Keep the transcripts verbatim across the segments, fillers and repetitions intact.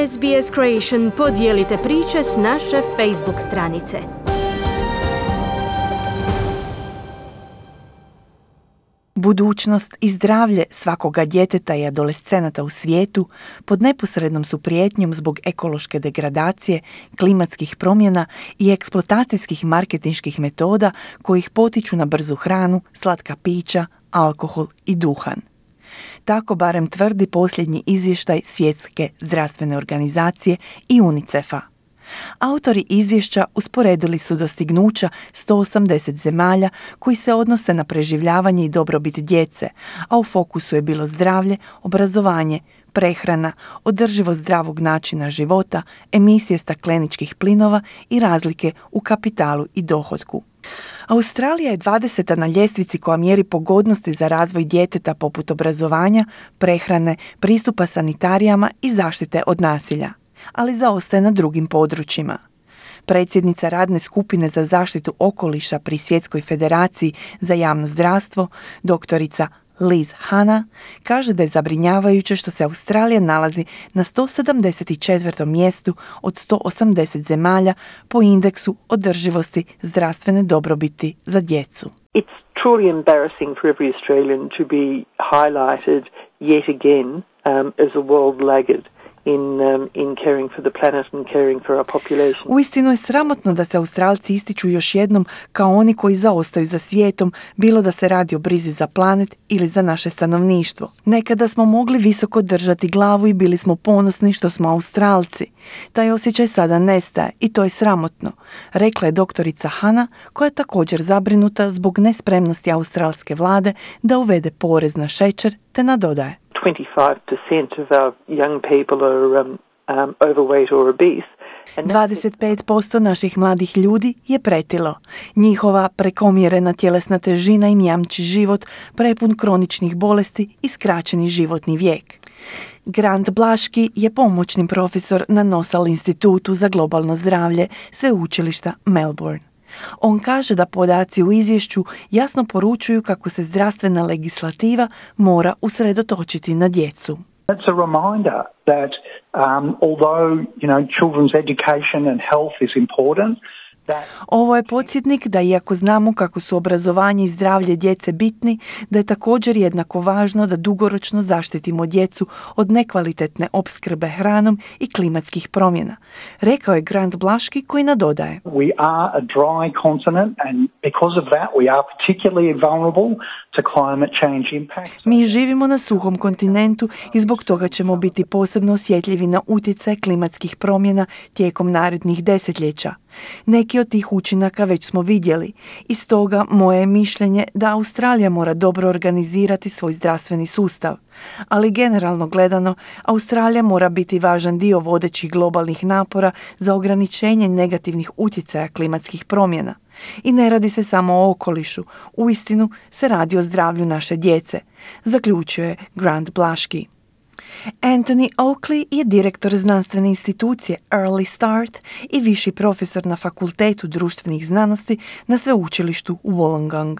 S B S Creation podijelite priče s naše Facebook stranice. Budućnost i zdravlje svakoga djeteta i adolescenata u svijetu pod neposrednom su prijetnjom zbog ekološke degradacije, klimatskih promjena i eksploatacijskih marketinških metoda koji ih potiču na brzu hranu, slatka pića, alkohol i duhan. Tako barem tvrdi posljednji izvještaj Svjetske zdravstvene organizacije i UNICEF-a. Autori izvješća usporedili su dostignuća sto osamdeset zemalja koji se odnose na preživljavanje i dobrobit djece, a u fokusu je bilo zdravlje, obrazovanje, prehrana, održivost zdravog načina života, emisije stakleničkih plinova i razlike u kapitalu i dohotku. Australija je dvadeseta na ljestvici koja mjeri pogodnosti za razvoj djeteta poput obrazovanja, prehrane, pristupa sanitarijama i zaštite od nasilja, ali zaostaje na drugim područjima. Predsjednica radne skupine za zaštitu okoliša pri Svjetskoj federaciji za javno zdravstvo, doktorica Liz Hanna, kaže da je zabrinjavajuće što se Australija nalazi na sto sedamdeset četvrtom mjestu od sto osamdeset zemalja po indeksu održivosti zdravstvene dobrobiti za djecu. It's truly embarrassing for every Australian to be highlighted yet again um, as a world laggard. In, um, in caring for the planet and caring for our population. Uistinu je sramotno da se Australci ističu još jednom kao oni koji zaostaju za svijetom, bilo da se radi o brizi za planet ili za naše stanovništvo. Nekada smo mogli visoko držati glavu i bili smo ponosni što smo Australci. Taj osjećaj sada nestaje i to je sramotno, rekla je doktorica Hanna, koja je također zabrinuta zbog nespremnosti australske vlade da uvede porez na šećer, te nadodaje: twenty-five percent of our young people are um, um, overweight or obese. dvadeset pet posto naših mladih ljudi je pretilo. Njihova prekomjerena tjelesna težina im jamči život prepun kroničnih bolesti i skraćeni životni vijek. Grant Blaški je pomoćni profesor na Nosal institutu za globalno zdravlje sveučilišta Melbourne. On kaže da podaci u izvješću jasno poručuju kako se zdravstvena legislativa mora usredotočiti na djecu. It's a reminder that um, although, you know, children's education and health is important, ovo je podsjetnik da iako znamo kako su obrazovanje i zdravlje djece bitni, da je također jednako važno da dugoročno zaštitimo djecu od nekvalitetne opskrbe hranom i klimatskih promjena, rekao je Grant Blaški, koji nadodaje: We are a dry continent and because of that we are particularly vulnerable to climate change impacts. Mi živimo na suhom kontinentu i zbog toga ćemo biti posebno osjetljivi na utjecaj klimatskih promjena tijekom narednih desetljeća. Neki od tih učinaka već smo vidjeli i stoga moje je mišljenje da Australija mora dobro organizirati svoj zdravstveni sustav. Ali generalno gledano, Australija mora biti važan dio vodećih globalnih napora za ograničenje negativnih utjecaja klimatskih promjena. I ne radi se samo o okolišu, uistinu se radi o zdravlju naše djece, zaključuje Grant Blaški. Anthony Oakley je direktor znanstvene institucije Early Start i viši profesor na Fakultetu društvenih znanosti na sveučilištu Wollongong.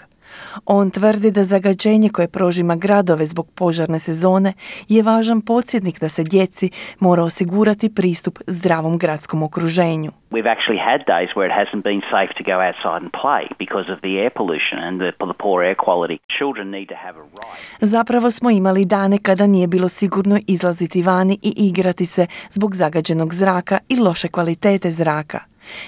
On tvrdi da zagađenje koje prožima gradove zbog požarne sezone je važan podsjetnik da se djeci mora osigurati pristup zdravom gradskom okruženju. We've actually had days where it hasn't been safe to go outside and play because of the air pollution and the, the poor air quality. Children need to have a right. Zapravo smo imali dane kada nije bilo sigurno izlaziti vani i igrati se zbog zagađenog zraka i loše kvalitete zraka.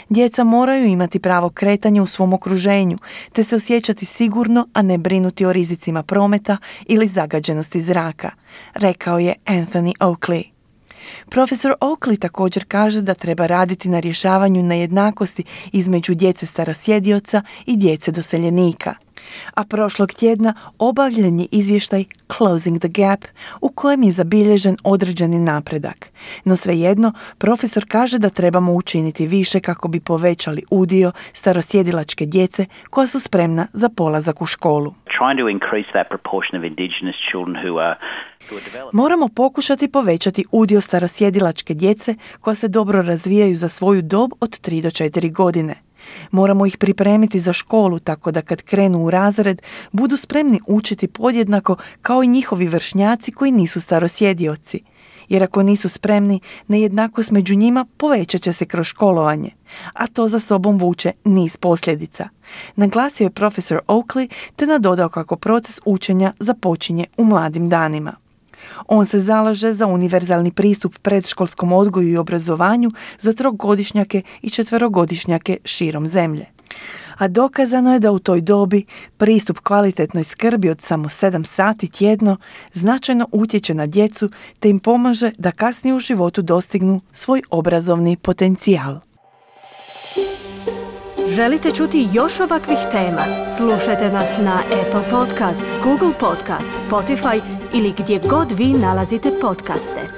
Djeca moraju imati pravo kretanja u svom okruženju, te se osjećati sigurno, a ne brinuti o rizicima prometa ili zagađenosti zraka, rekao je Anthony Oakley. Profesor Oakley također kaže da treba raditi na rješavanju nejednakosti između djece starosjedioca i djece doseljenika. A prošlog tjedna obavljen je izvještaj Closing the Gap u kojem je zabilježen određeni napredak. No svejedno, profesor kaže da trebamo učiniti više kako bi povećali udio starosjedilačke djece koja su spremna za polazak u školu. Trying to increase that proportion of indigenous children who are Moramo pokušati povećati udio starosjedilačke djece koja se dobro razvijaju za svoju dob od tri do četiri godine. Moramo ih pripremiti za školu tako da kad krenu u razred budu spremni učiti podjednako kao i njihovi vršnjaci koji nisu starosjedioci. jer ako nisu spremni, nejednakost među njima povećat će se kroz školovanje, a to za sobom vuče niz posljedica. Naglasio je profesor Oakley te nadodao kako proces učenja započinje u mladim danima. On se zalaže za univerzalni pristup predškolskom odgoju i obrazovanju za trogodišnjake i četverogodišnjake širom zemlje. A dokazano je da u toj dobi pristup kvalitetnoj skrbi od samo sedam sati tjedno značajno utječe na djecu te im pomaže da kasnije u životu dostignu svoj obrazovni potencijal. Želite čuti još ovakvih tema? Slušajte nas na Apple Podcast, Google Podcast, Spotify ili gdje god vi nalazite podcaste.